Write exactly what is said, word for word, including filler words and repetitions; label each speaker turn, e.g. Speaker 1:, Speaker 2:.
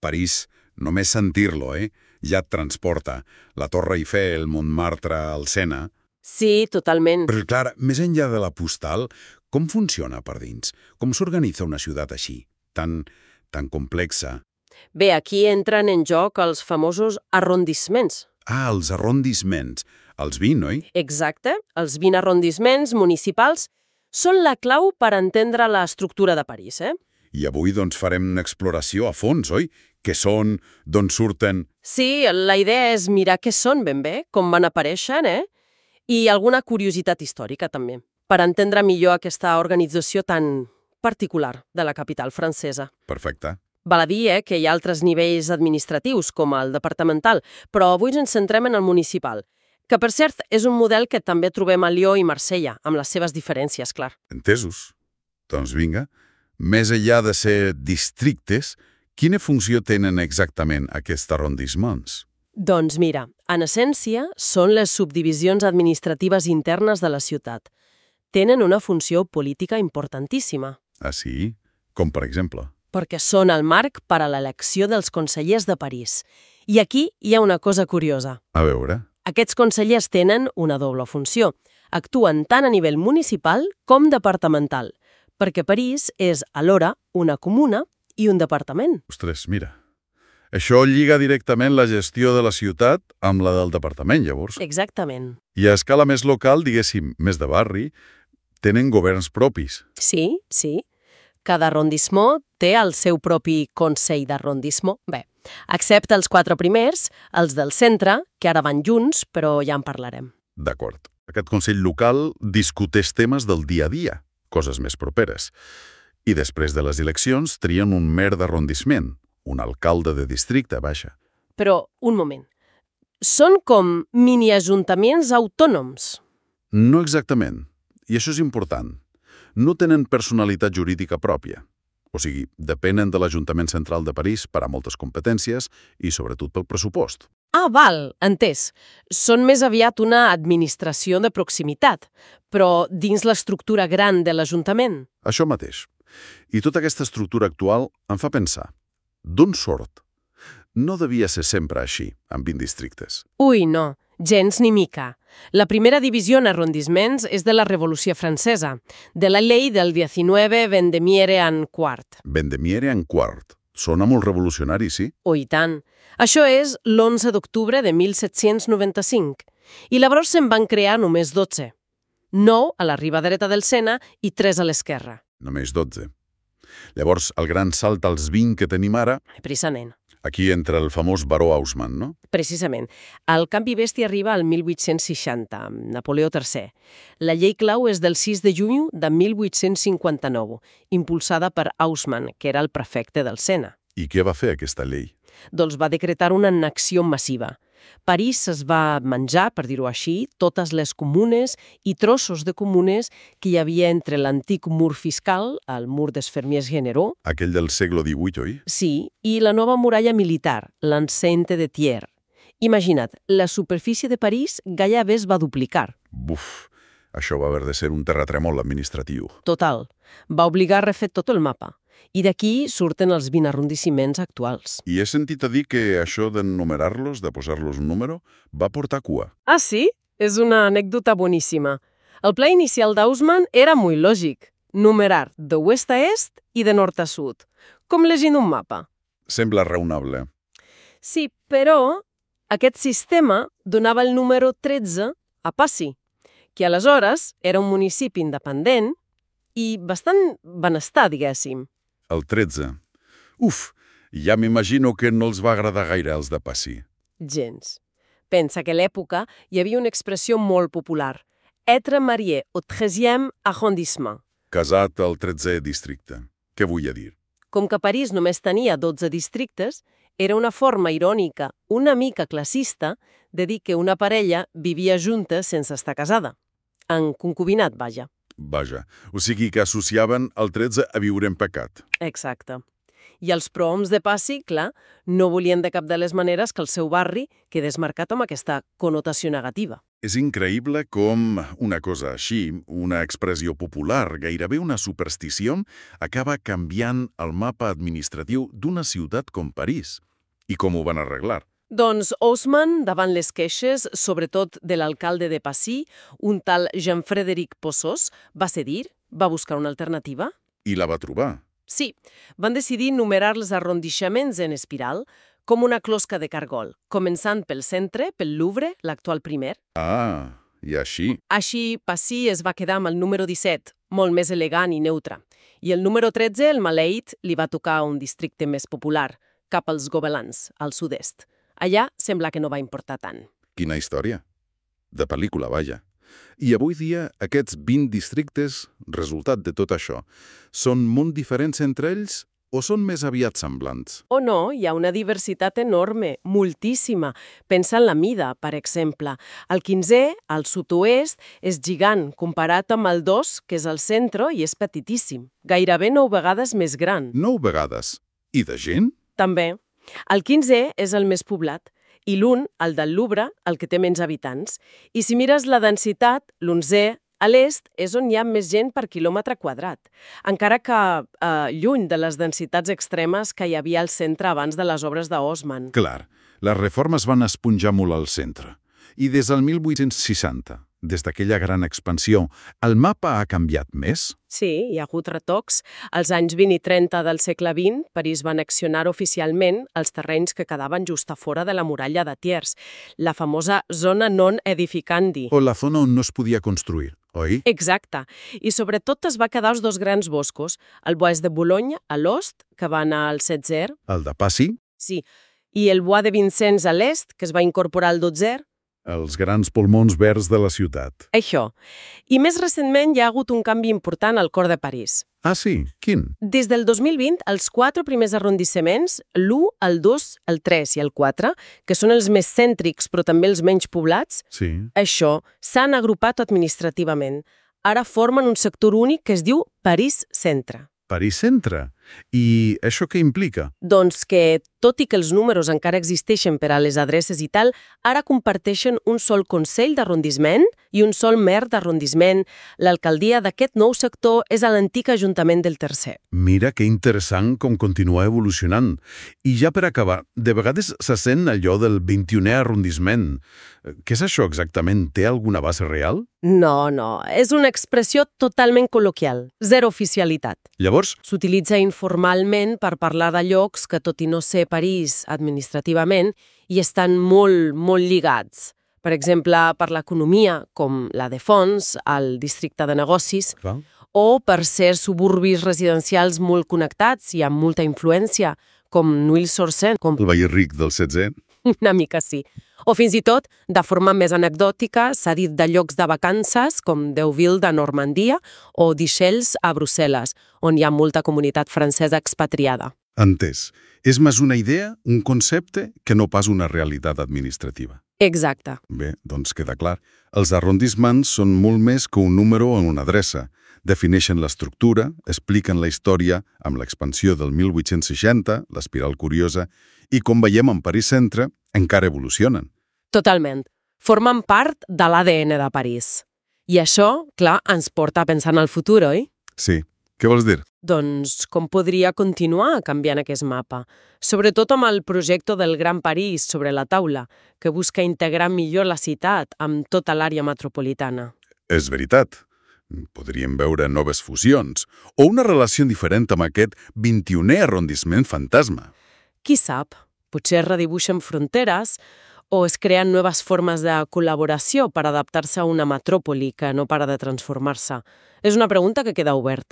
Speaker 1: París, només sentir-lo, eh? Ja et transporta. La Torre Eiffel, Montmartre, el Sena...
Speaker 2: Sí, totalment.
Speaker 1: Però, clar, més enllà de la postal, com funciona per dins? Com s'organitza una ciutat així, tan, tan complexa?
Speaker 2: Bé, aquí entren en joc els famosos arrondissements.
Speaker 1: Ah, els arrondissements. Els vint, oi?
Speaker 2: Exacte. Els vint arrondissements municipals són la clau per entendre l'estructura de París, eh?
Speaker 1: I avui, doncs, farem una exploració a fons, oi? Què són, d'on surten...
Speaker 2: Sí, la idea és mirar què són ben bé, com van aparèixer, eh? I alguna curiositat històrica, també, per entendre millor aquesta organització tan particular de la capital francesa.
Speaker 1: Perfecte.
Speaker 2: Val a dir eh, que hi ha altres nivells administratius, com el departamental, però avui ens centrem en el municipal, que, per cert, és un model que també trobem a Lió i Marsella, amb les seves diferències, clar.
Speaker 1: Entesos. Doncs vinga, més enllà de ser districtes, quina funció tenen exactament aquests arrondissements?
Speaker 2: Doncs mira, en essència, són les subdivisions administratives internes de la ciutat. Tenen una funció política importantíssima.
Speaker 1: Ah, sí? Com per exemple?
Speaker 2: Perquè són el marc per a l'elecció dels consellers de París. I aquí hi ha una cosa curiosa.
Speaker 1: A veure...
Speaker 2: Aquests consellers tenen una doble funció. Actuen tant a nivell municipal com departamental, perquè París és alhora una comuna i un departament.
Speaker 1: Ostres, mira... Això lliga directament la gestió de la ciutat amb la del departament, llavors.
Speaker 2: Exactament.
Speaker 1: I a escala més local, diguéssim, més de barri, tenen governs propis.
Speaker 2: Sí, sí. Cada arrondissement té el seu propi Consell d'arrondissement. Bé, excepte els quatre primers, els del centre, que ara van junts, però ja en parlarem.
Speaker 1: D'acord. Aquest Consell local discuteix temes del dia a dia, coses més properes. I després de les eleccions trien un mer d'arrondissement, un alcalde de districte, vaja.
Speaker 2: Però, un moment. Són com mini-ajuntaments autònoms?
Speaker 1: No exactament. I això és important. No tenen personalitat jurídica pròpia. O sigui, depenen de l'Ajuntament Central de París per a moltes competències i, sobretot, pel pressupost.
Speaker 2: Ah, val, entès. Són més aviat una administració de proximitat, però dins l'estructura gran de l'Ajuntament.
Speaker 1: Això mateix. I tota aquesta estructura actual em fa pensar. D'on sort? No devia ser sempre així, amb vint districtes.
Speaker 2: Ui, no, gens ni mica. La primera divisió en arrondissements és de la Revolució Francesa, de la llei del diecinueve Vendemiaire en quart.
Speaker 1: Vendemiaire en quart. Sona molt revolucionari, sí?
Speaker 2: Oh, i tant. Això és l'onze d'octubre de mil set-cents noranta-cinc. I llavors se'n van crear només dotze. nou a la riba dreta del Sena i tres a l'esquerra.
Speaker 1: Només dotze. Llavors, el gran salt als vint que tenim ara...
Speaker 2: Precisament.
Speaker 1: Aquí entra el famós baró Haussmann, no?
Speaker 2: Precisament. El canvi bèstia arriba al mil vuit-cents seixanta, amb Napoleó tercer. La llei clau és del sis de juny de mil vuit-cents cinquanta-nou, impulsada per Haussmann, que era el prefecte del Sena.
Speaker 1: I què va fer aquesta llei?
Speaker 2: Doncs va decretar una annexió massiva. París es va menjar, per dir-ho així, totes les comunes i trossos de comunes que hi havia entre l'antic mur fiscal, el mur des Fermiers Généraux...
Speaker 1: Aquell del segle divuit, oi?
Speaker 2: Sí, i la nova muralla militar, l'enceinte de Thiers. Imagina't, la superfície de París gairebé es va duplicar.
Speaker 1: Buf, això va haver de ser un terratrèmol administratiu.
Speaker 2: Total. Va obligar a refer tot el mapa. I d'aquí surten els vint arrondissements actuals.
Speaker 1: I he sentit a dir que això d'enumerar-los, de posar-los un número, va portar cua.
Speaker 2: Ah, sí? És una anècdota boníssima. El pla inicial d'Haussmann era molt lògic. Numerar de oest a est i de nord a sud. Com llegint un mapa.
Speaker 1: Sembla raonable.
Speaker 2: Sí, però aquest sistema donava el número tretze a Passy, que aleshores era un municipi independent i bastant benestar, diguéssim.
Speaker 1: El tretze. Uf, ja m'imagino que no els va agradar gaire els de Passy.
Speaker 2: Gens. Pensa que a l'època hi havia una expressió molt popular. Être marié au treizième arrondissement.
Speaker 1: Casat al tretzè districte. Què vull dir?
Speaker 2: Com que París només tenia dotze districtes, era una forma irònica, una mica classista, de dir que una parella vivia junta sense estar casada. En concubinat, vaja.
Speaker 1: Vaja, o sigui que associaven el tretze a viure en pecat.
Speaker 2: Exacte. I els prohoms de Passy, clar, no volien de cap de les maneres que el seu barri quedés marcat amb aquesta connotació negativa.
Speaker 1: És increïble com una cosa així, una expressió popular, gairebé una superstició, acaba canviant el mapa administratiu d'una ciutat com París. I com ho van arreglar?
Speaker 2: Doncs Haussmann, davant les queixes, sobretot de l'alcalde de Passy, un tal Jean-Frédéric Possos, va cedir, va buscar una alternativa.
Speaker 1: I la va trobar.
Speaker 2: Sí, van decidir numerar els arrondissaments en espiral com una closca de cargol, començant pel centre, pel Louvre, l'actual primer.
Speaker 1: Ah, i així?
Speaker 2: Així, Passy es va quedar amb el número disset, molt més elegant i neutre. I el número tretze, el Maleit, li va tocar a un districte més popular, cap als Gobelins, al sud-est. Allà sembla que no va importar tant.
Speaker 1: Quina història. De pel·lícula, vaja. I avui dia, aquests vint districtes, resultat de tot això, són molt diferents entre ells o són més aviat semblants?
Speaker 2: O no, hi ha una diversitat enorme, moltíssima. Pensa en la mida, per exemple. El quinzè, al sud-oest, és gigant, comparat amb el dos, que és al centre i és petitíssim. Gairebé nou vegades més gran.
Speaker 1: Nou vegades. I de gent?
Speaker 2: També. El quinzè és el més poblat i l'un, el del Louvre, el que té menys habitants. I si mires la densitat, l'onzè, a l'est, és on hi ha més gent per quilòmetre quadrat, encara que eh, lluny de les densitats extremes que hi havia al centre abans de les obres de Haussmann.
Speaker 1: Clar, les reformes van esponjar molt al centre. I des del mil vuit-cents seixanta, des d'aquella gran expansió, el mapa ha canviat més?
Speaker 2: Sí, hi ha hagut retocs. Als anys vint i trenta del segle vint, París va annexionar oficialment els terrenys que quedaven just a fora de la muralla de Thiers, la famosa zona non edificandi.
Speaker 1: O la zona on no es podia construir, oi?
Speaker 2: Exacte. I sobretot es va quedar els dos grans boscos, el Bois de Boulogne, a l'ost, que va anar al setzè.
Speaker 1: El de Passy?
Speaker 2: Sí. I el Bois de Vincennes a l'est, que es va incorporar al dotzè.
Speaker 1: Els grans pulmons verds de la ciutat.
Speaker 2: Això. I més recentment hi ha hagut un canvi important al cor de París.
Speaker 1: Ah, sí? Quin?
Speaker 2: Des del dos mil vint, els quatre primers arrondissaments, l'u, el dos, el tres i el quatre, que són els més cèntrics però també els menys poblats,
Speaker 1: Sí.
Speaker 2: això s'han agrupat administrativament. Ara formen un sector únic que es diu París Centre.
Speaker 1: París Centre. I això què implica?
Speaker 2: Doncs que, tot i que els números encara existeixen per a les adreces i tal, ara comparteixen un sol Consell d'Arrondissement i un sol mer d'arrondissement. L'alcaldia d'aquest nou sector és a l'antic Ajuntament del Tercer.
Speaker 1: Mira que interessant com continua evolucionant. I ja per acabar, de vegades se sent allò del vint-i-unè arrondissement. Què és això exactament? Té alguna base real?
Speaker 2: No, no, és una expressió totalment col·loquial, zero oficialitat.
Speaker 1: Llavors,
Speaker 2: S'utilitza informalment per parlar de llocs que, tot i no ser París administrativament, hi estan molt, molt lligats. Per exemple, per l'economia, com la de Fons, al districte de negocis,
Speaker 1: val?
Speaker 2: o per ser suburbis residencials molt connectats i amb molta influència, com Nuit-sur-Seine, com
Speaker 1: El veí ric del setzè?
Speaker 2: una mica sí. O fins i tot, de forma més anecdòtica, s'ha dit de llocs de vacances com Deauville de Normandia o d'Ixelles a Brussel·les, on hi ha molta comunitat francesa expatriada.
Speaker 1: Entès. És més una idea, un concepte, que no pas una realitat administrativa.
Speaker 2: Exacte.
Speaker 1: Bé, doncs queda clar. Els arrondissements són molt més que un número o una adreça. Defineixen l'estructura, expliquen la història amb l'expansió del mil vuit-cents seixanta, l'espiral curiosa, i com veiem en París Centre, encara evolucionen.
Speaker 2: Totalment. Formen part de l'A D N de París. I això, clar, ens porta a pensar en el futur, oi?
Speaker 1: Sí. Què vols dir?
Speaker 2: Doncs com podria continuar canviant aquest mapa? Sobretot amb el projecte del Gran París sobre la taula, que busca integrar millor la ciutat amb tota l'àrea metropolitana.
Speaker 1: És veritat. Podríem veure noves fusions o una relació diferent amb aquest vint-i-unè arrondissement fantasma.
Speaker 2: Qui sap? Potser es redibuixen fronteres o es creen noves formes de col·laboració per adaptar-se a una metròpoli que no para de transformar-se. És una pregunta que queda oberta.